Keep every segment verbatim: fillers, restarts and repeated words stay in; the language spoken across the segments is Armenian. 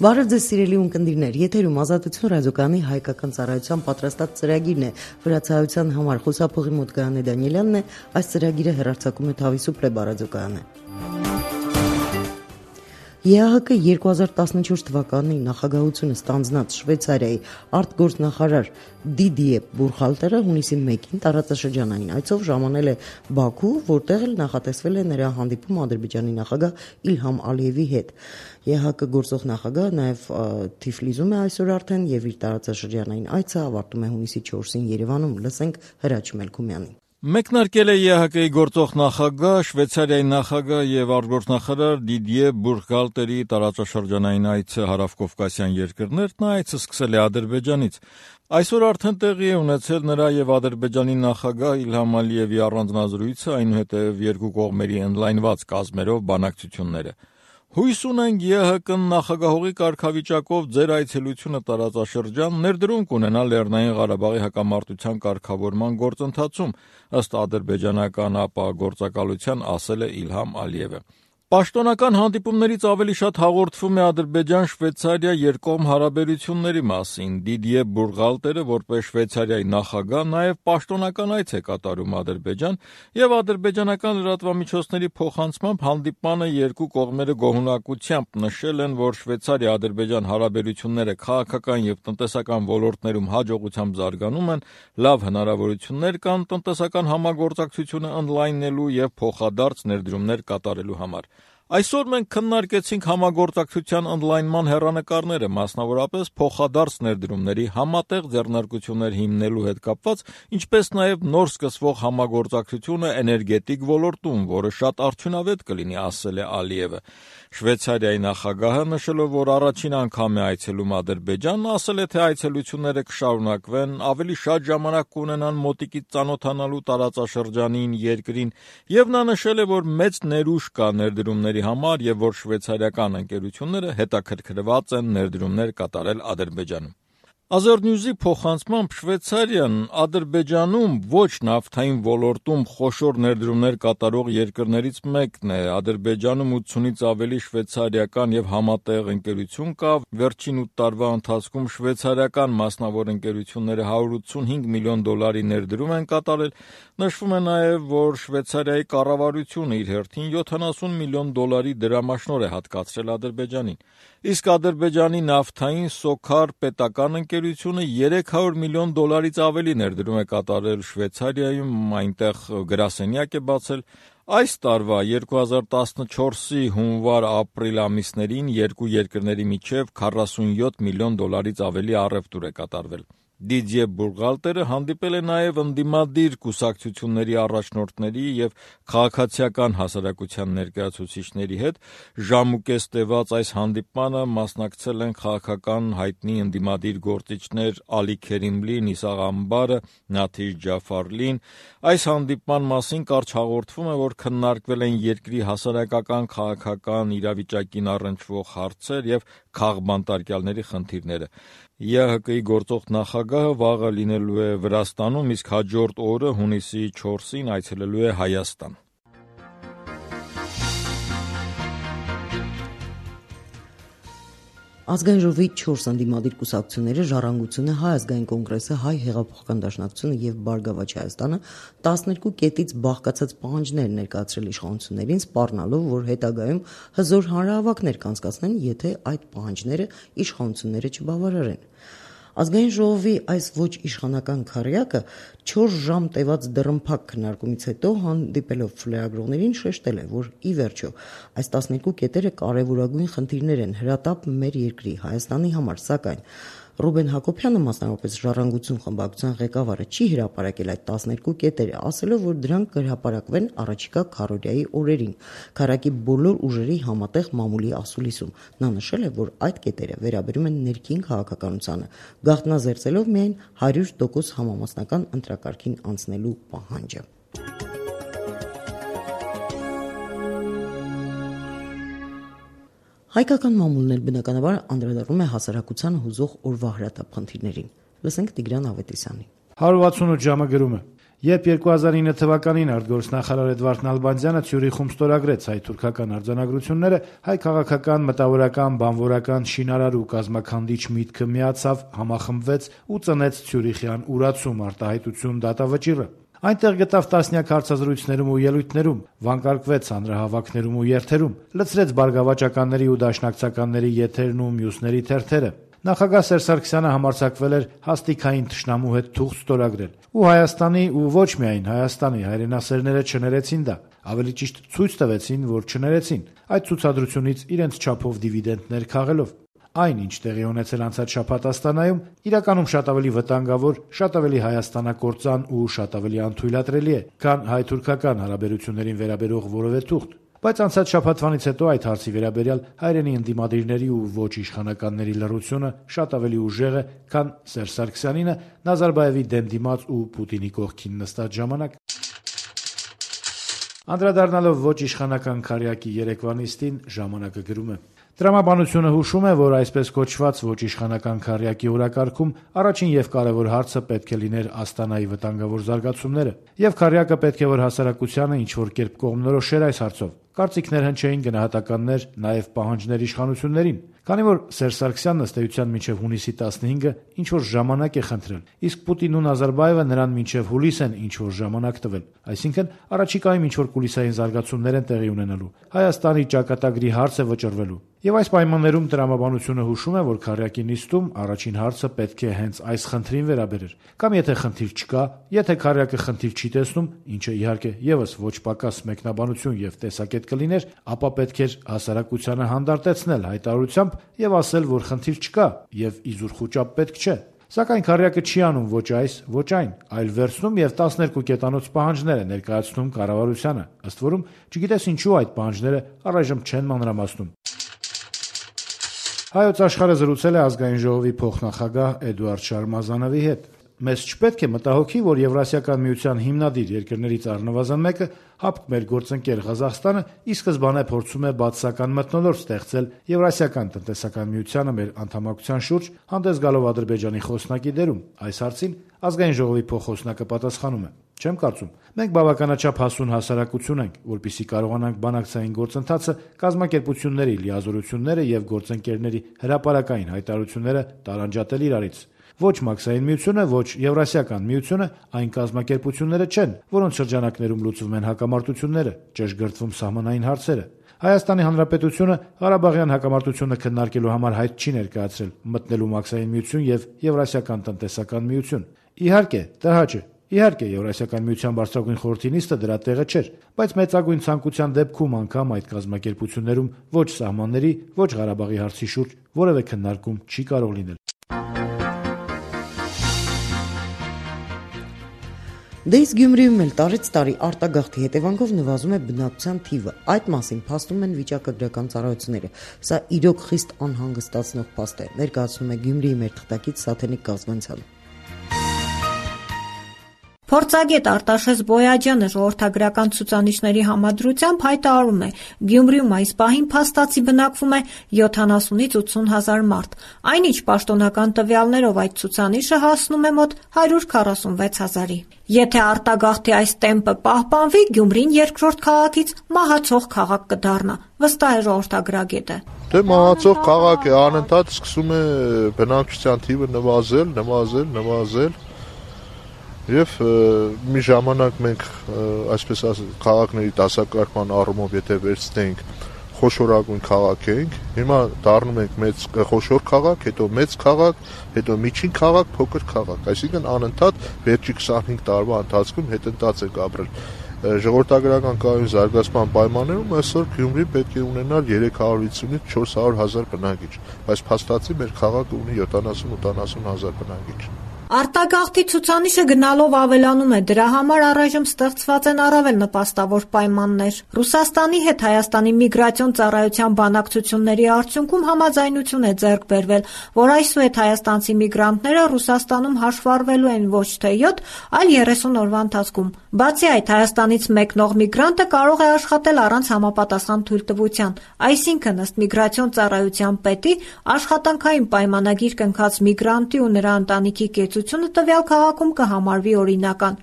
Բարև ձեզ սիրելի ունկնդիրներ, եթերում Ազատություն ռադիոկայանի հայկական ծառայության պատրաստած ծրագիրն է։ Վրացայության համար խոսափողի մոտ Գայանե Դանիելյանն է, այս ծրագիրը հեռարձակում է Թավիսու ռադիոկայանը։ ԵԱՀԿ երկու հազար տասնչորս թվականի նախագահությունը ստանձնած Շվեյցարիայի արտգործնախարար Դիդիե Բուրխալտերը հունիսի մեկին տարածաշրջանային այցով ժամանել է Բաքու, որտեղ էլ նախատեսվել է նրա հանդիպում Ադրբեջանի նախագահ Իլհամ Ալիևի հետ։ ԵԱՀԿ գործող նախագահը նաև Թիֆլիսում է այսօր արդեն եւ իր տարածաշրջանային այցը ավարտում է հունիսի չորսին Երևանում։ Լսենք Հրաչ Մելքումյանին։ Մեկնարկել է ԵԱՀԿ-ի գործող նախագահ, Շվեյցարիայի նախագահ եւ արտգործնախարար Դիդիե Բուրխալտերի տարածաշրջանային այցը հարավկովկասյան երկրներ, նա այցը սկսել է Ադրբեջանից։ Այսօր արդեն տեղի է ունեցել նրա եւ Ադրբեջանի նախագահ Իլհամ Ալիևի առանձնազրույցը, այնուհետեւ երկու կողմերի ընդլայնված կազմերով բանակցությունները։ Հույս ունենք ԵԱՀԿ-ն նախագահողի կարգավիճակով ձեր այցելությունը տարածաշրջան ներդրում կունենա Լեռնային Ղարաբաղի հակամարտության կարգավորման գործընթացում, ըստ ադրբեջանական ապահովագործակալության ասել է Իլհամ Ալիևը։ Պաշտոնական հանդիպումներից ավելի շատ հաղորդվում է Ադրբեջան-Շվեյցարիա երկկողմ հարաբերությունների մասին։ Դիդիե Բուրխալտերը, որպես Շվեյցարիայի նախագահ, նաև պաշտոնական այց է կատարում Ադրբեջան եւ ադրբեջանական լրատվամիջոցների փոխանցմամբ հանդիպմանը երկու կողմերը գոհունակությամբ նշել են, որ Շվեյցարիա-Ադրբեջան հարաբերությունները քաղաքական եւ տնտեսական ոլորտներում հաջողությամբ զարգանում են, լավ հնարավորություններ կան տնտեսական համագործակցությունը ընդլայնելու եւ փոխադարձ ներդրումներ կատարելու համար։ Այսօր մենք քննարկեցինք համագործակցության ընդլայնման հեռանկարները, մասնավորապես փոխադարձ ներդրումների համատեղ ձեռնարկություններ հիմնելու հետ կապված, ինչպես նաև նոր սկսվող համագործակցությունը էներգետիկ ոլորտում, որը շատ արդյունավետ կլինի, ասել է Ալիևը։ Շվեյցարիայի նախագահը նշելով, որ առաջին անգամ է այցելում Ադրբեջան, ասել է, թե այցելությունները կշարունակվեն, ավելի շատ ժամանակ կունենան մոտիկից ծանոթանալու տարածաշրջանին, երկրին, եւ նա նշել է, որ մեծ ներուժ կա ներդրումների համար եւ որ շվեյցարիական ընկերությունները հետաքրքրված են ներդրումներ կատարել Ադրբեջանում։ Ազերնյուզի փոխանցմամբ Շվեյցարիան Ադրբեջանում ոչ նավթային ոլորտում խոշոր ներդրումներ կատարող երկրներից մեկն է։ Ադրբեջանում ութսունից ավելի շվեյցարիական եւ համատեղ ընկերություն կա։ Վերջին ութ տարվա ընթացքում շվեյցարիական մասնավոր ընկերությունները հարյուր ութսունհինգ միլիոն դոլարի ներդրում են կատարել։ Նշվում է նաեւ, որ Շվեյցարիայի կառավարությունը իր հերթին յոթանասուն միլիոն դոլարի դրամաշնոր է հատկացրել Ադրբեջանին։ Իսկ Ադրբեջանի նավթային Սոքար պետական ընկերությունը երեք հարյուր միլիոն դոլարից ավելի ներդրում է կատարել Շվեյցարիայում, այնտեղ գրասենյակ է բացել։ Այս տարվա երկու հազար տասնչորսի հունվար-ապրիլ ամիսներին երկու երկրների միջև քառասունյոթ միլիոն դոլարից ավելի առևտուր է կատարվել։ Դիդիե Բուրխալտերը հանդիպել է նաև ընդդիմադիր կուսակցությունների առաջնորդների եւ քաղաքացիական հասարակության ներկայացուցիչների հետ։ Ժամուկես տևած այս հանդիպմանը մասնակցել են քաղաքական հայտնի ընդդիմադիր գործիչներ Ալի Քերիմլի, Նիսաղ Ամբարը, Նաթիժ Ջաֆարլին։ Այս հանդիպման մասին կարճ հաղորդվում է, որ քննարկվել են երկրի հասարակական քաղաքական իրավիճակին առնչվող հարցեր եւ քաղբանտարկյալների խնդիրները։ ԵԱՀԿ-ի գործող նախագահը վաղը լինելու է Վրաստանում, իսկ հաջորդ օրը հունիսի չորսին այցելելու է Հայաստան։ Ազգային ժողովի չորս ընդդիմադիր կուսակցությունները Ժառանգությունը, Հայ ազգային կոնգրեսը, Հայ հեղափոխական դաշնակցությունը եւ Բարգավաճ Հայաստանը տասներկու կետից բաղկացած պահանջներ ներկայացրել իշխանություններին, սպառնալով, որ հետագայում հզոր հանրահավաքներ կանցկացնեն, եթե այդ պահանջները իշխանությունները չբավարարեն։ Ազգային ժողովի այս ոչ իշխանական քառյակը չորս ժամ տևած դռնփակ քննարկումից հետո հանդիպելով լրագրողներին շեշտել է, որ ի վերջո այս տասներկու կետերը կարևորագույն խնդիրներ են հրատապ մեր երկրի Հայաստանի համար, սակայն Ռուբեն Հակոբյանը, մասնավորապես Ժառանգություն խմբակցության ղեկավարը, չի հրապարակել այդ տասներկու կետերը, ասելով, որ դրանք կհրապարակվեն առաջիկա քառօրյայի օրերին քառակի բոլոր ուժերի համատեղ մամուլի ասուլիսում։ Նա նշել է, որ այդ կետերը վերաբերում են ներքին քաղաքականությանը, գաղտնազերծելով միայն հարյուր տոկոս համամասնական ընտրակարգին անցնելու պահանջը։ Հայկական մամուլն էլ բնականաբար անդրադառնում է հասարակությանը հուզող օրվա հրատապ խնդիրներին։ Լսենք Տիգրան Ավետիսյանին։ հարյուր վաթսունութ ժամը գրում է. Երբ երկու հազար ինը թվականին արտգործնախարար Էդվարդ Նալբանդյանը Ցյուրիխում ստորագրեց հայ-թուրքական արձանագրությունները, հայ քաղաքական, մտավորական, բանվորական, շինարար ու կազմաքանդիչ միտքը միացավ, համախմբվեց ու ծնեց Ցյուրիխյան ուրացում արտահայտություն դատավճիռը։ Այնտեղ գտավ տասնյակ հարցազրույցներում ու ելույթներում, վանկարկվեց հանրահավաքներում ու երթերում, լցրեց բարգավաճականների ու դաշնակցականների եթերն ու մյուսների թերթերը։ Նախագահ Սերժ Սարգսյանը համարձակվել էր հաստիքային թշնամու հետ թուղթ ստորագրել, ու Հայաստանի ու ոչ միայն Հայաստանի հայրենասերները չներեցին դա, ավելի ճիշտ ցույց տվեցին, որ չներեցին, այդ ցուցադրությունից իրենց չափով դիվիդենտներ քաղելով։ Այն, ինչ տեղի ունեցել անցած շաբաթ Աստանայում, իրականում շատ ավելի վտանգավոր, շատ ավելի հայաստանակործան ու շատ ավելի անթույլատրելի է, քան հայ-թուրքական հարաբերություններին վերաբերող որևէ թուղթ։ Բայց անցած շաբաթվանից հետո այդ հարցի վերաբերյալ հայրենի ընդդիմադիրների ու ոչ իշխանականների լռությունը շատ ավելի ուժեղ է, քան Սերժ Սարգսյանինը Նազարբաևի դեմ դիմաց ու Պուտինի կողքին նստած ժամանակ։ Անդրադառնալով ոչ իշխանական քարյակի երեկվա նիստին, ժամանակը գրում է. Տրամաբանությունը հուշում է, որ այսպես կոչված ոչ իշխանական քարյակի օրակարգում առաջին եւ կարեւոր հարցը պետք է լիներ Աստանայի վտանգավոր զարգացումները, եւ քարյակը պետք է որ հասարակությանը ինչ որ կերպ կողմնորոշեր այս հարցով։ Կարծիքներ հնչեին, գնահատականներ, նաեւ պահանջներ իշխանություններին։ Քանի որ Սերժ Սարգսյանն ըստ էության մինչև հունիսի տասնհինգը ինչ որ ժամանակ է խնդրել, իսկ Պուտինն ու Նազարբաևը նրան մինչև հուլիս են ինչ որ ժամանակ տվել, այսինքն առաջիկայում ինչ որ կուլիսային զարգացումներ են տեղի ունենալու, Հայաստանի ճակատագրի հարց է վճռվելու։ Եվ այս պայմաններում տրամաբանությունը հուշում է, որ քարյակի նիստում առաջին հարցը պետք է հենց այս խնդրին վերաբերեր, կամ եթե խնդիր չկա, եթե քարյակը խնդիր չի տեսնում, ինչը իհարկե եւս ոչ պակաս մեկնաբանություն եւ տեսակետ կլիներ, ապա պետք էր հասարակությանը հանդարտեցնել հայտարարությամբ եւ ասել, որ խնդիր չկա եւ իզուր խոճապ պետք չէ։ Սակայն քարյակը չի անում ոչ այս, ոչ այն, այլ վերցնում եւ տասներկու կետանոց պահանջներ է ներկայացնում կառավարությանը, ըստ որում չգիտես ինչու այդ պահանջները առայժմ չեն մանրամասնում։ Հայոց աշխարհը զրուցել է ազգային ժողովի փոխնախագահ Էդուարդ Շարմազանովի հետ։ Մեզ չպետք է մտահոգի, որ Եվրասիական միության հիմնադիր երկրներից առնվազն մեկը, հապկ մեր գործընկեր Ղազախստանը, ի սկզբանե փորձում է բացասական մթնոլորտ ստեղծել Եվրասիական տնտեսական միությանը մեր անդամակցության շուրջ, հանդես գալով Ադրբեջանի խոսնակի դերում։ Այս հարցին ազգային ժողովի փոխխոսնակը պատասխանում է. Չեմ կարծում։ Մենք բավականաչափ հասուն հասարակություն ենք, որպեսզի կարողանանք բանակցային գործընթացը, կազմակերպությունների լիազորությունները եւ գործընկերների հրապարակային հայտարարությունները տարանջատել իրարից։ Ոչ մաքսային միությունը, ոչ Եվրասիական միությունը այն կազմակերպությունները չեն, որոնց շրջանակներում լուծվում են հակամարտությունները, ճշգրտվում սահմանային հարցերը։ Հայաստանի Հանրապետությունը Ղարաբաղյան հակամարտությունը քննարկելու համար հայտ չի ներկայացրել մտնելու մաքսային միություն եւ Եվրասիական տնտեսական միություն։ Իհարկե, տհաճ է։ Իհարկե, Եվրասիական միության բարձրագույն խորհրդի նիստը դրա տեղը չէր, բայց մեծագույն ցանկության դեպքում անգամ այդ կազմակերպություններում ոչ սահմանների, ոչ Ղարաբաղի հարցի շուրջ որևէ քննարկում չի կարող լինել։ Դե իսկ Գյումրիում էլ տարեց տարի արտագաղթի հետևանքով նվազում է բնակչության թիվը։ Այդ մասին փաստում են վիճակագրական ծառայությունները։ Սա իրոք խիստ անհանգստացնող փաստ է, ներկայացնում է Գյումրիի մեր թղթակից Սաթենիկ Կազմանցյանը։ Փորձագետ Արտաշես Բոյաջյանը ժողովրդագրական ցուցանիշների համադրությամբ հայտարարում է, Գյումրիում այս պահին փաստացի բնակվում է յոթանասունից ութսուն հազար մարդ, այնինչ պաշտոնական տվյալներով այդ ցուցանիշը հասնում է մոտ հարյուր քառասունվեց հազարի։ Եթե արտագաղթի այս տեմպը պահպանվի, Գյումրին երկրորդ քաղաքից մահացող քաղաք կդառնա, վստահ է ժողովրդագրագետը։ Դե մահացող քաղաք է, անընդհատ սկսում է բնակչության թիվը նվազել, նվազել, նվազել։ Եվ մի ժամանակ մենք այսպես ասած քաղաքների դասակարգման առումով եթե վերցնենք խոշորագույն քաղաք էինք, հիմա դառնում ենք մեծ խոշոր քաղաք, հետո մեծ քաղաք, հետո միջին քաղաք, փոքր քաղաք, այսինքն անընդհատ վերջի քսանհինգ տարվա ընթացքում հետընթաց ենք ապրել։ Ժողովրդագրական կայուն զարգացման պայմաններում այսօր Գյումրի պետք է ունենալ երեք հարյուր վաթսունից չորս հարյուր հազար բնակիչ, բայց փաստացի մեր քաղաքը ունի յոթանասուն-ութանասուն հազար բնակիչ։ Արտագաղթի ցուցանիշը գնալով ավելանում է, դրա համար առայժմ ստեղծված են առավել նպաստավոր պայմաններ։ Ռուսաստանի հետ Հայաստանի միգրացիոն ծառայության բանակցությունների արդյունքում համաձայնություն է ձեռք բերվել, որ այսուհետ հայաստանցի միգրանտները Ռուսաստանում հաշվառվելու են ոչ թե յոթ, այլ երեսուն օրվա ընթացքում, Բացի այդ, Հայաստանից մեկնող միգրանտը կարող է աշխատել առանց համապատասխան թույլտվության, այսինքն ըստ միգրացիոն ծառայության պետի, աշխատանքային պայմանագիր կնքած միգրանտի ու նրա ընտանիքի կեցությունը տվյալ քաղաքում կհամարվի օրինական։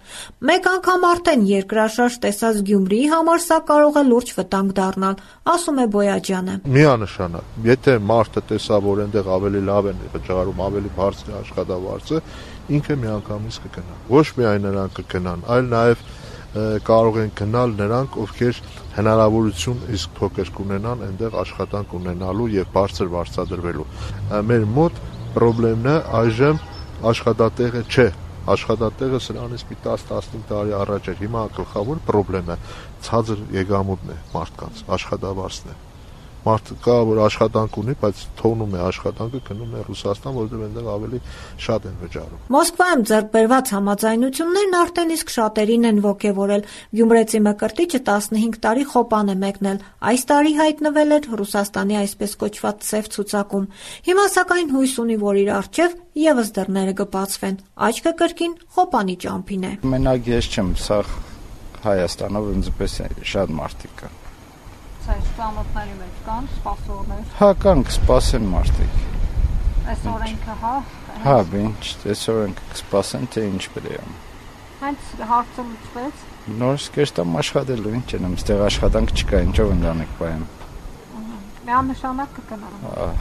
Մեկ անգամ արդեն երկրաշարժ տեսած Գյումրիի համար սա կարող է լուրջ վտանգ դառնալ, ասում է Բոյաջյանը։ Միանշանակ, եթե մարդը տեսավ, որ այնտեղ ավելի լավ են վճարում, ավելի բարձր է աշխատավարձը, ինքը միանգամից կգնա։ Ոչ միայն նրանք կգնան, այլ նաև կարող են գնալ նրանք, ովքեր հնարավորություն իսկ փոքր կունենան այնտեղ աշխատանք ունենալու եւ բարձր վարձատրվելու։ Մեր մոտ խնդիրն է այժմ աշխատատեղը չէ։ Աշխատատեղը սրանից մի տասը տասնհինգ տարի առաջ էր։ Հիմա գլխավոր խնդիրը ցածր եկամուտն է մարդկանց, աշխատավարձն է։ Մարդը կա, որ աշխատանք ունի, բայց թողնում է աշխատանքը, գնում է Ռուսաստան, որտեղ այնտեղ ավելի շատ են վճարում։ Մոսկվայում ձեռք բերված համաձայնություններն արդեն իսկ շատերին են ոգևորել։ Գյումրեցի Մկրտիչը տասնհինգ տարի խոպան է մեկնել։ Այս տարի հայտնվել էր Ռուսաստանի այսպես կոչված սև ցուցակում։ Հիմա սակայն հույս ունի, որ իր առջև եւս դռները կբացվեն։ Աչքը կրկին խոպանի ճամփին է։ Մենակ ես չեմ, սա Հայաստանով ինձպես շատ մարդիկ կան։ Այս ծանոթների մեջ կան սպասողներ։ Հա, կան, կսպասեն մարդիկ։ Այս օրենքը, հա։ Հա, ինչ, այս օրենքը կսպասեն, թե ինչ պետք է։ Հենց հարցը լուծվեց։ Նորից կերտամ աշխատելու, ինչ եմ, այստեղ աշխատանք չկա, ինչով ընտանիք պահեմ։ Միանշանակ կգնան։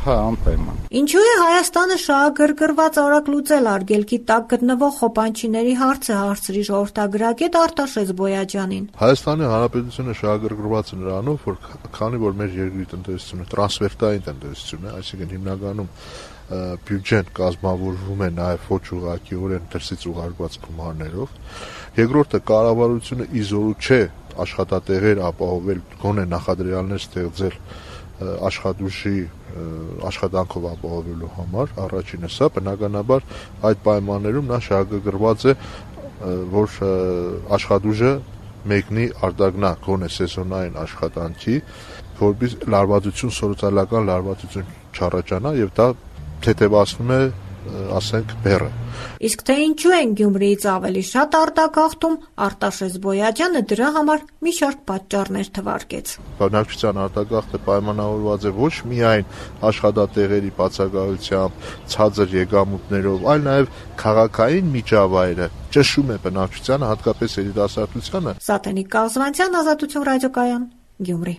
Հա, անպայման։ Ինչու է Հայաստանը շահագրգռված արագ լուծել արգելքի տակ գտնվող խոպանչիների հարցը, հարցրի ժողովրդագրագետ Արտաշես Բոյաջյանին։ Հայաստանի Հանրապետությունը շահագրգռված է նրանով, որ քանի որ մեր երկրի տնտեսությունը տրանսֆերտային տնտեսություն է, այսինքն հիմնականում բյուջեն կազմավորվում է նաև ոչ ուղղակիորեն դրսից ուղարկված գումարներով։ Երկրորդը կառավարությունը իզորու չէ աշխատատեղեր ապահովել, գոնե նախադրյալներ ստեղծել աշխատուժի աշխատանքով ապահովելու համար, առաջինը սա, բնականաբար այդ պայմաններում նա շահագրգռված է, որ աշխատուժը մեկնի արտագնա գոնե սեզոնային աշխատանքի, որպեսզի լարվածություն, սոցիալական լարվածություն չառաջանա եւ դա թեթևացնում է, ասենք, բեռը։ Իսկ թե ինչու են Գյումրիից ավելի շատ արտագաղթում, Արտաշես Բոյաջյանը դրա համար մի շարք պատճառներ թվարկեց։ Բնակչության արտագաղթը պայմանավորված է ոչ միայն աշխատատեղերի բացակայությամբ, ցածր եկամուտներով, այլ նաև քաղաքային միջավայրը ճնշում է բնակչությանը, հատկապես երիտասարդությանը։ Սատենիկ Կազմանցյան, Ազատություն ռադիոկայան, Գյումրի։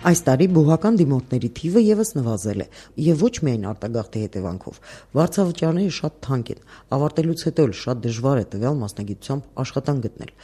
Այս տարի բուհական դիմորդների թիվը եւս նվազել է, եւ ոչ միայն արտագաղթի հետևանքով։ Վարձավճարները շատ թանկ են, ավարտելուց հետո էլ շատ դժվար է տվյալ մասնագիտությամբ աշխատանք գտնել։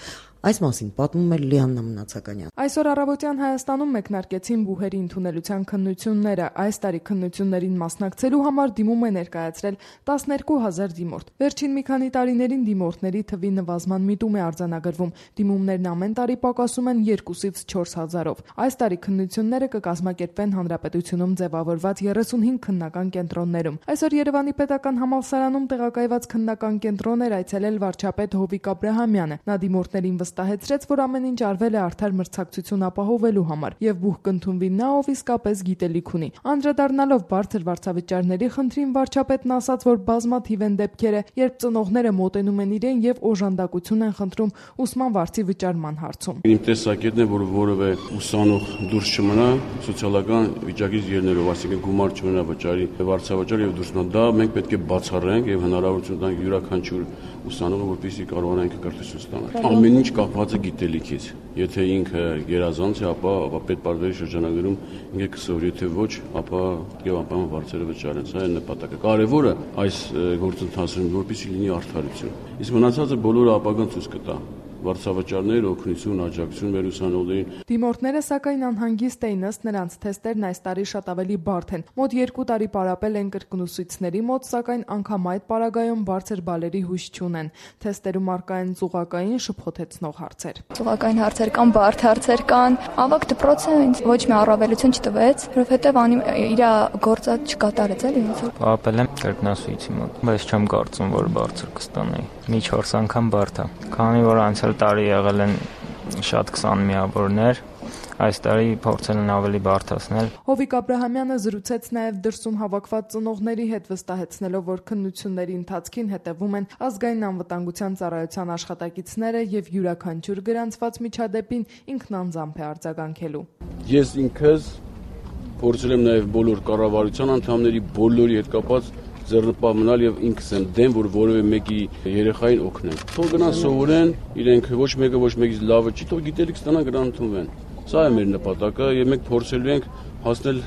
Այս մասին պատմում է Լիաննա Մնացականյան։ Այսօր առավոտյան Հայաստանում մեկնարկեցին բուհերի ընդունելության քննությունները։ Այս տարի քննություններին մասնակցելու համար դիմում է ներկայացրել տասներկու հազար դիմորդ։ Վերջին մի քանի տարիներին դիմորդների թվի նվազման միտում է արձանագրվում։ Դիմումներն ամեն տարի պակասում են երկուսից չորս հազարով։ Այս տարի քննությունները կկազմակերպվեն Հանրապետությունում ձևավորված երեսունհինգ քննական կենտրոններում։ Այսօր Երևանի պետական համալսարանում տեղակայված քննական կենտրոն էր այցելել վարչապետ Հովիկ Աբրահամյանը։ Նա դիմորդներին վստահեցրեց, որ ամեն ինչ արվել է արդար մրցակցություն ապահովելու համար եւ բուհ կընդունվի նա, ով իսկապես գիտելիք ունի։ Անդրադառնալով բարձր վարձավճարների խնդրին, վարչապետն ասաց, որ բազմաթիվ են դեպքերը, երբ ծնողները մոտենում են իրեն եւ օժանդակություն են խնդրում ուսման վարձի վճարման հարցում։ Իմ տեսակետն է, որ որևէ ուսանող դուրս չմնա սոցիալական վիճակից ելնելով, այսինքն գումար չմնա վճարի վարձավճար եւ դուրս մնա։ Դա մենք պետք է բացառենք եւ հնարավորություն տանք յուրաքանչյուր ուսանողը, որպեսզի կարողանա ինքը կրթություն ստանալ։ Ամեն ինչ կապված է գիտելիքից։ Եթե ինքը գերազանց է, ապա ապա պետպարտների շրջանագրում ինքը կսովորի, եթե ոչ, ապա եւ անպայման վարձերը վճարեն։ Սա է նպատակը։ Կարևորը այս գործընթացում, որպեսզի լինի արդարություն։ Իսկ մնացածը բոլորը ապագան ցույց կտա։ Վարձավճարներ, օգնություն, աջակցություն մեր ուսանողներին։ Դիմորդները սակայն անհանգիստ էին, ըստ նրանց թեստերն այս տարի շատ ավելի բարդ են։ Մոտ երկու տարի պարապել են կրկնուսույցների մոտ, սակայն անգամ այդ պարագայում բարձր բալերի հույս չունեն։ Թեստերում առկա են ծուղակային շփոթեցնող հարցեր։ Ծուղակային հարցեր կան, բարդ հարցեր կան։ Ավագ դպրոցը ինձ ոչ մի առավելություն չտվեց, որովհետև անի իր գործը չկատարեց էլի ոնց որ։ Պարապել եմ կրկնասույցի մոտ, բայց չեմ կարծում, որ բարձր կստանայի։ Մի չորս անգամ բարդ է։ Քանի որ անցյալ տարի եղել են շատ քսան միավորներ, այս տարի փորձել են ավելի բարդացնել։ Հովիկ Աբրահամյանը զրուցեց նաև դրսում հավաքված ծնողների հետ, վստահեցնելով, որ քննությունների ընթացքին հետևում են ազգային անվտանգության ծառայության աշխատակիցները եւ յուրաքանչյուր գրանցված միջադեպին ինքնանձամբ է արձագանքելու։ Ես ինքս փորձել եմ նաև բոլոր կառավարության անդամների բոլորի հետ կապված ձեռնպահ մնալ եւ ինքս եմ դեմ, որ որևէ մեկի երեխային օգնեմ։ Թող գնան սովորեն, իրենք ոչ մեկը ոչ մեկից լավը չի, թող գիտելիք ստանան, գնան ընդունվեն։ Սա է մեր նպատակը եւ մենք փորձելու ենք հասնել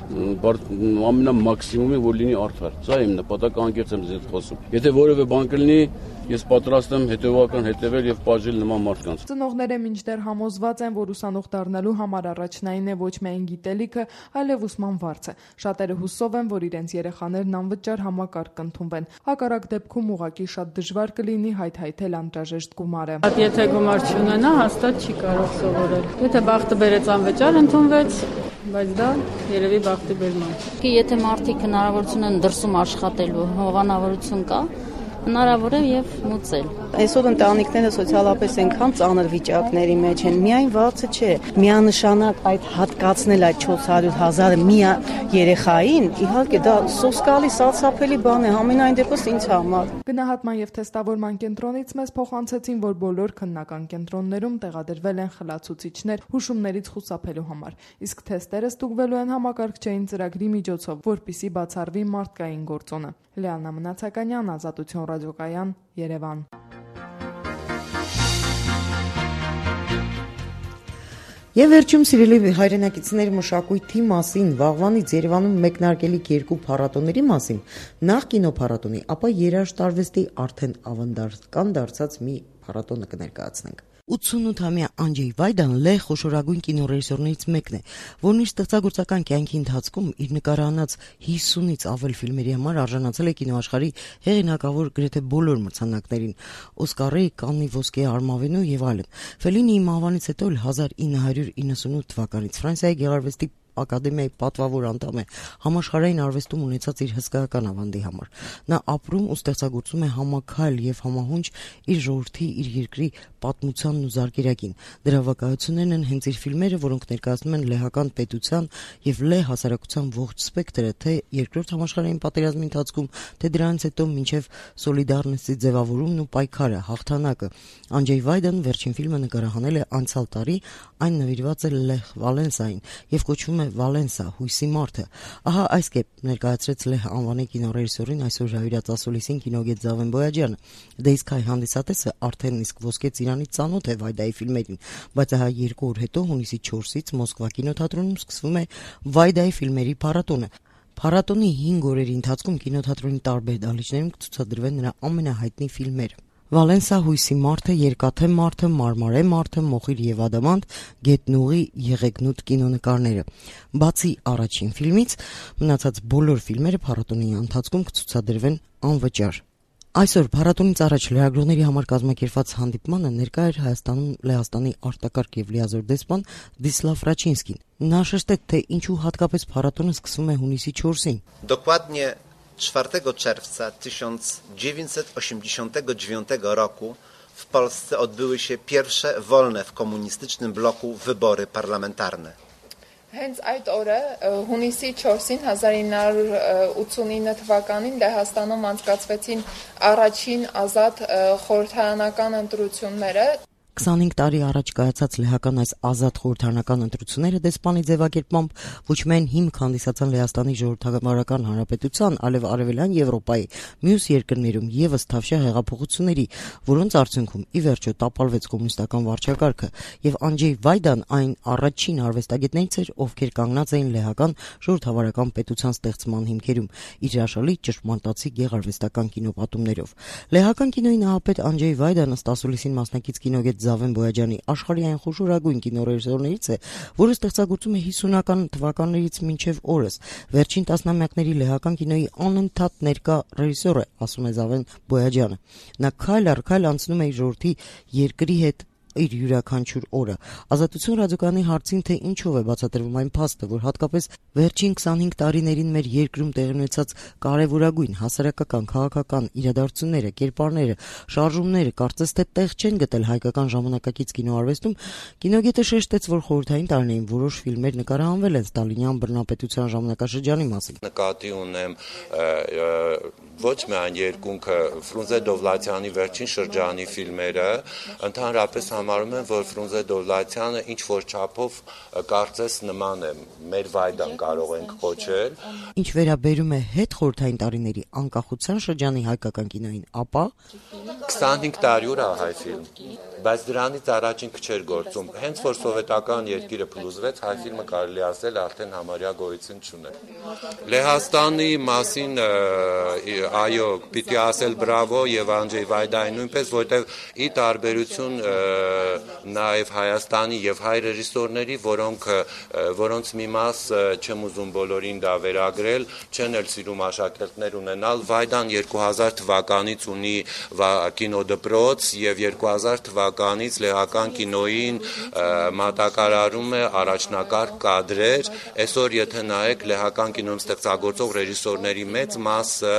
ամենամաքսիմումին, որ լինի արդար։ Սա է իմ նպատակը, անկեղծ եմ ձեզ խոսում։ Եթե որևէ բան կլինի, ես պատրաստ եմ հետևական հետևել եւ պատժել նման մարդկանց։ Ծնողները մինչդեռ համոզված են, որ ուսանող դառնալու համար առաջնային է ոչ միայն գիտելիքը, այլև ուսման վարձը։ Շատերը հուսով են, որ իրենց երեխաներն անվճար համակարգ կընդունվեն։ Հակառակ դեպքում ուղղակի շատ դժվար կլինի հայթայթել անհրաժեշտ գումարը։ Եթե գումար չունենա, հաստատ չի կարող սովորել։ Եթե բախտը բերեց անվճար ընդունվեց, բայց դա երևի բախտի բերման։ Եթե մարդիկ հնարավորություն են դրսում աշխատելու, հովանավորություն կա, հնարավոր է եւ մուծել։ Այսօր ընտանիքները սոցիալապես այնքան ծանր վիճակների մեջ են, միայն վարձը չէ, միանշանակ այդ հատկացնել այդ չորս հարյուր հազարը մի երեխային, իհարկե դա սոսկալի սարսափելի բան է, համենայն դեպս ինձ համար։ Գնահատման եւ թեստավորման կենտրոնից մեզ փոխանցեցին, որ բոլոր քննական կենտրոններում տեղադրվել են խլացուցիչներ հուշումներից խուսափելու համար, իսկ թեստերը ստուգվելու են համակարգչային ծրագրի միջոցով, որպիսի բացառվի մարդկային գործոնը։ Լիանա Մնացականյան, Ազատություն ռադիոկայան, Երևան։ Եվ վերջում սիրելի հայրենակիցների մշակույթի մասին, վաղվանից Երևանում մեկնարկելիք երկու փառատոների մասին, նախ կինոփառատոնի, ապա երաժշտարվեստի արդեն ավանդական դարձած մի փառատոնը կներկայացնենք։ ութսունութամյա Անջեյ Վայդան լեհ խոշորագույն կինոռեժիսորներից մեկն է, որն իր ստեղծագործական կյանքի ընթացքում իր նկարահանած հիսունից ավել ֆիլմերի համար արժանացել է կինոաշխարհի հեղինակավոր գրեթե բոլոր մրցանակներին՝ Օսկարի, Կաննի ոսկե արմավենու եւ այլն։ Ֆելինիի մահվանից հետո հազար ինը հարյուր իննսունութ թվականից Ֆրանսիայի գեղարվեստի ակադեմիայի պատվավոր անդամ է համաշխարհային արվեստում ունեցած իր հսկայական ավանդի համար։ Նա ապրում ու ստեղծագործում է համաքայլ եւ համահունչ իր ժողովրդի, իր երկրի պատմությանն ու զարգերակին։ Դրա վկայություններն են հենց իր ֆիլմերը, որոնք ներկայացնում են լեհական պետության եւ լեհ հասարակության ողջ սպեկտրը, թե երկրորդ համաշխարհային պատերազմի ընթացքում, թե դրանից հետո մինչեւ Սոլիդարնեսի ձևավորումն ու պայքարը, հաղթանակը։ Անջեյ Վայդան վերջին ֆիլմը նկարահանել է անցյալ տարի, այն նվիրված է Լեհ Վալենսային եւ կոչվում է Վալենսա, հույսի մարդը։ Ահա այս կերպ ներկայացրեց Լեհ անվանի կինոռեժիսորին այսօր հյուրած ասուլիսին կինոգետ Զավեն Բոյաջյանը։ Դե իսկ հայ հանդիսատեսը արդեն իսկ ոսկե ծիրանից ծանոթ է Վայդայի ֆիլմերին, բայց ահա երկու օր հետո հունիսի չորսից Մոսկվա կինոթատրոնում սկսվում է Վայդայի ֆիլմերի փառատոնը։ Փառատոնի հինգ օրերի ընթացքում կինոթատրոնի տարբեր դահլիճներում կցուցադրվեն նրա ամենահայտնի ֆիլմերը։ Վալենսա, հույսի մարդը, երկաթե մարդը, մարմարե մարդը, մոխիր եւ ադամանտ, գետնուղի, եղեգնուտ կինոնկարները։ Բացի առաջին ֆիլմից, մնացած բոլոր ֆիլմերը փառատոնի ընթացքում կցուցադրվեն անվճար։ Այսօր փառատոնից առաջ լրագրողների համար կազմակերպված հանդիպմանը ներկա էր Հայաստանում Լեհաստանի արտակարգ եւ լիազոր դեսպան Դիսլավ Ռաչինսկին։ Նա շեշտեց, թե ինչու հատկապես փառատոնը սկսվում է հունիսի չորսին։ Dokładnie czwartego czerwca tysiąc dziewięćset osiemdziesiątego dziewiątego roku w Polsce odbyły się pierwsze wolne w komunistycznym bloku wybory parlamentarne. Հենց այդ օրը հունիսի չորսին հազար ինը հարյուր ութսունինը թվականին Լեհաստանում անցկացվեցին առաջին ազատ խորհրդարանական ընտրությունները։ քսանհինգ տարի առաջ կայացած լեհական այս ազատ խորհրդարանական ընտրությունները դեսպանի ձևակերպմամբ ոչ միայն հիմք հանդիսացան Լեհաստանի ժողովրդավարական հանրապետության, այլև արևելյան Եվրոպայի մյուս երկրներում եւս թավշյա հեղափոխությունների, որոնց արդյունքում ի վերջո տապալվեց կոմունիստական վարչակարգը, եւ Անջեյ Վայդան այն առաջին արվեստագետներից էր, ովքեր կանգնած էին լեհական ժողովրդավարական պետության ստեղծման հիմքերում, իր հրաշալի ճշմարտացի գեղարվեստական կինոպատումներով։ Լեհական կինոյի նահապետ Անջեյ Վայդանը ստասուլիսին մասնակից կինոգետ Զավեն Բոյաջյանի աշխարհի այն խոշորագույն կինոռեժիսորներից է, որը ստեղծագործում է հիսունական թվականներից մինչև օրս։ Վերջին տասնամյակների լեհական կինոյի անընդհատ ներկա ռեժիսոր է, ասում է Զավեն Բոյաջյանը։ Նա քայլ առ քայլ անցնում է իր ժողովրդի երկրի հետ իր յուրաքանչյուր օրը։ Ազատություն ռադիոկայանի հարցին, թե ինչով է բացատրվում այն փաստը, որ հատկապես վերջին քսանհինգ տարիներին մեր երկրում տեղի ունեցած կարևորագույն հասարակական, քաղաքական իրադարձությունները, կերպարները, շարժումները կարծես թե տեղ չեն գտել հայկական ժամանակակից կինոարվեստում, կինոգետը շեշտեց, որ խորհրդային տարիներին որոշ ֆիլմեր նկարահանվել են ստալինյան բռնապետության ժամանակաշրջանի մասին։ Նկատի ունեմ ոչ միայն երկունքը Ֆրունզե Դովլաթյանի վերջին շրջանի ֆիլմերը, ընդհանրապես համարում եմ, որ Ֆրունզե Դովլաթյանը ինչ որ չափով կարծես նման է, մեր վայդան կարող ենք կոչել։ Ինչ վերաբերում է հետ խորհրդային տարիների անկախության շրջանի հայկական կինոյին, ապա քսանհինգ տարի ուր է հայ ֆիլմ, բայց դրանից առաջ ինքը չէր գործում։ Հենց որ սովետական երկիրը փլուզվեց, հայ ֆիլմը կարելի ասել արդեն համարյա գոյություն չուներ։ Լեհաստանի մասին այո, պիտի ասել բրավո եւ Անջեյ Վայդայի նույնպես, որտեղ ի տարբերություն նաեւ Հայաստանի եւ հայ ռեժիսորների, որոնք որոնց մի մաս չեմ ուզում բոլորին դա վերագրել, չեն էլ սիրում աշակերտներ ունենալ, Վայդան երկու հազար թվականից ունի կինոդպրոց եւ երկու հազար թվականից լեհական կինոյին մատակարարում է առաջնակարգ կադրեր։ Այսօր եթե նայեք լեհական կինոյում ստեղծագործող ռեժիսորների մեծ մասը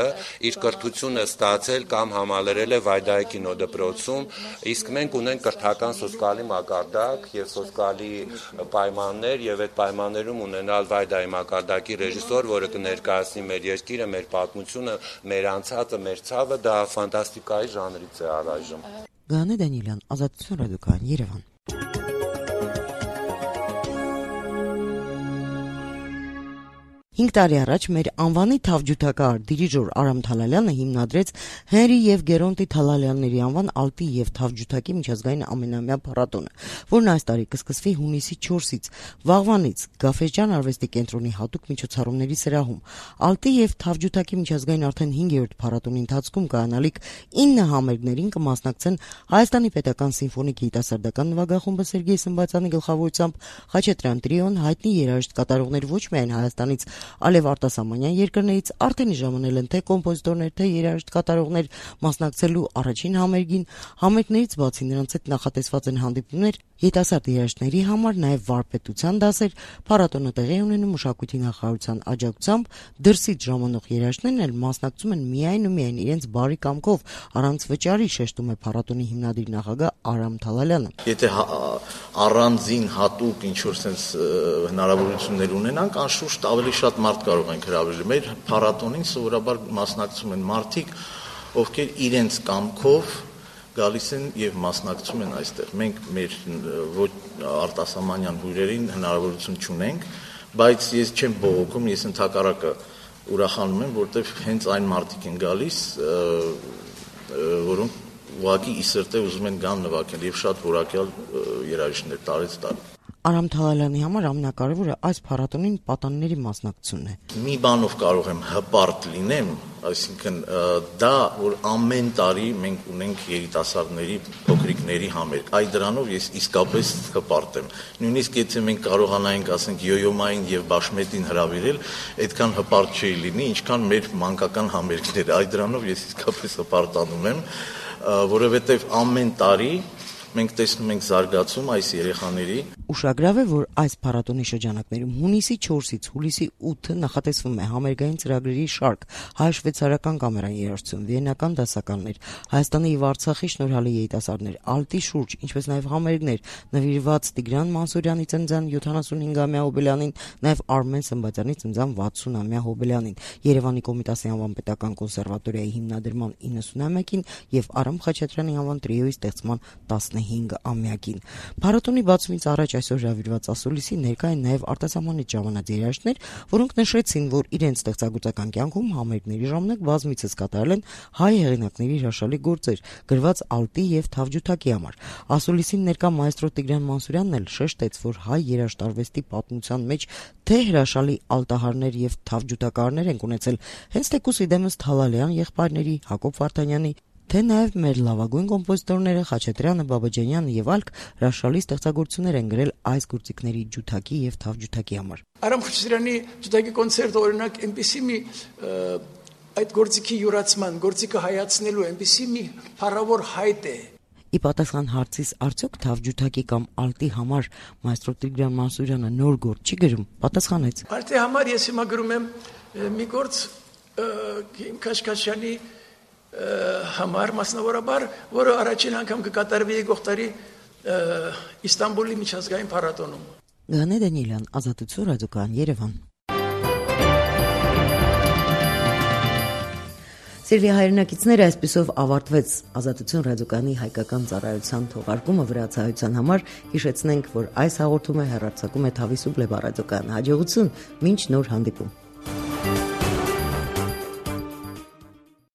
իր կրթությունը ստացել կամ համալրել է Վայդայի կինոդպրոցում, իսկ մենք ունենք կրթական սոսկալի մակարդակ եւ սոսկալի պայմաններ եւ այդ պայմաններում ունենալ Վայդայի մակարդակի ռեժիսոր, որը կներկայացնի մեր երկիրը, մեր պատմությունը, մեր անցածը, մեր ցավը, դա ֆանտաստիկայի ժանրից է առայժմ։ Գանե Դանիելյան, Ազատություն ռադիոկայան, Երևան։ Հինգ տարի առաջ մեր անվանի թավջութակահար դիրիժոր Արամ Թալալյանը հիմնադրեց Հենրի եւ Գերոնտի Թալալյանների անվան ալտի եւ թավջութակի միջազգային ամենամյա փառատոնը, որն այս տարի կսկսվի հունիսի չորսից վաղվանից Գաֆէջան արվեստի կենտրոնի հատուկ միջոցառումների սրահում։ Ալտի եւ թավջութակի միջազգային արդեն հինգերորդ փառատոնի ընթացքում կայանալիք ինը համերգներին կմասնակցեն Հայաստանի պետական սիմֆոնիկ երիտասարդական նվագախումբը Սերգեյ Սմբացյանի գլխավորությամբ, Խաչատրյան տրիոն, հայտնի երաժիշտ կատարողներ ոչ միայն Հայաստանից, Ալև արտասահմանյան երկրներից արդեն ժամանել են թե կոմպոզիտորներ, թե երաժիշտ կատարողներ մասնակցելու առաջին համերգին, համերգներից բացի նրանց հետ նախատեսված են հանդիպումներ երիտասարդ երաժիշտների համար, նաև վարպետության դասեր, փառատոնը տեղի ունենում մշակույթի նախարարության աջակցությամբ, դրսից ժամանող երաժիշտներն էլ մասնակցում են միայն ու միայն իրենց բարի կամքով, առանց վճարի, շեշտում է փառատոնի հիմնադիր նախագահ Արամ Թալալյանը։ Եթե առանձին հատուկ ինչ-որ sense հնարավորություններ ունենանք, անշուշտ ավելի շատ մարդ կարող ենք հրավիրել։ Մեր փառատոնին սովորաբար մասնակցում են մարդիկ, ովքեր իրենց կամքով գալիս են եւ մասնակցում են այստեղ։ Մենք մեր ոչ արտասահմանյան հյուրերին հնարավորություն չունենք, բայց ես չեմ բողոքում, ես ընդհակառակը ուրախանում եմ, որտեղ հենց այն մարդիկ են գալիս, որոնք ուղղակի ի սրտե ուզում են գան նվագել եւ շատ որակյալ երաժիշտներ տարեց տարի։ Արամ Թալալյանի համար ամենակարևորը այս փառատոնին պատանիների մասնակցությունն է։ Մի բանով կարող եմ հպարտ լինեմ, այսինքն դա, որ ամեն տարի մենք ունենք երիտասարդների, փոքրիկների համերգ, այ դրանով ես իսկապես հպարտ եմ։ Նույնիսկ եթե մենք կարողանայինք, ասենք, Յոյոմային եւ Բաշմետին հրավիրել, այդքան հպարտ չի լինի, ինչքան մեր մանկական համերգները, այ դրանով ես իսկապես հպարտանում եմ, որովհետեւ ամեն տարի մենք տեսնում ենք զարգացում այս երեխաների։ Ուշագրավ է, որ այս փառատոնի շրջանակներում հունիսի չորսից հուլիսի ութը նախատեսվում է համերգային ծրագրերի շարք, հայ-շվեյցարական կամերային երաժշտություն, վիենական դասականներ, Հայաստանի եւ Արցախի շնորհալի երիտասարդներ, ալտի շուրջ, ինչպես նաեւ համերգներ նվիրված Տիգրան Մանսուրյանի ծննդյան յոթանասունհինգամյա հոբելյանին, նաեւ Արմեն Սմբատյանի ծննդյան վաթսունամյա հոբելյանին, Երևանի Կոմիտասի անվան պետական կոնսերվատորիայի հիմնադրման իննսունամյակին եւ Արամ Խաչատրյանի անվան տրիոյի ստեղծման տասնհինգամյակին։ Փառատոնի բացումից առաջ այսօր հրավիրված ասուլիսի ներկա են նաև արտասահմանից ժամանած երաժիշտներ, որոնք նշեցին, որ իրենց ստեղծագործական կյանքում համերգների ժամանակ բազմիցս կատարել են հայ հեղինակների հրաշալի գործեր, գրված ալտի եւ թավջութակի համար։ Ասուլիսին ներկա մայստրո Տիգրան Մանսուրյանն էլ շեշտեց, որ հայ երաժշտարվեստի պատմության մեջ թե հրաշալի ալտահարներ եւ թավջութակարներ են ունեցել, հենց թեկուզ իդեմս Թալալյան եղբայրների Հակոբ Վարդանյանի, թե նաև մեր լավագույն կոմպոզիտորները Խաչատրյանը, Բաբաջանյանը եւ այլք հրաշալի ստեղծագործություններ են գրել այս գործիքների ջութակի եւ թավջութակի համար։ Արամ Խաչատրյանի ջութակի կոնցերտը օրինակ այնպեսի մի այդ գործիքի յուրացման, գործիքը հայացնելու այնպեսի մի փառավոր հայտ է, Ի պատասխան հարցիս արդյոք Թավջութակի կամ Ալտի համար մայստրո Տիգրան Մանսուրյանը նոր գործ չի գրում, պատասխանեց. Ալտի համար ես հիմա գրում եմ մի գործ Քիմ Քաշքաշյանի համար մասնավորաբար, որը առաջին անգամ կկատարվի եկող տարի Իստանբուլի միջազգային փառատոնում։ Գանե Դանիելյան, Ազատություն, Ռադիոկայան, Երևան։ Սիրելի հայրենակիցները, այսպիսով ավարտվեց Ազատություն ռադիոկայանի հայկական ծառայության թողարկումը վրացահայության համար։ Հիշեցնենք, որ այս հաղորդումը հեռարձակում է Թավիսու Բլեբա ռադիոկայան։ Հաջողություն, մինչ նոր հանդիպում։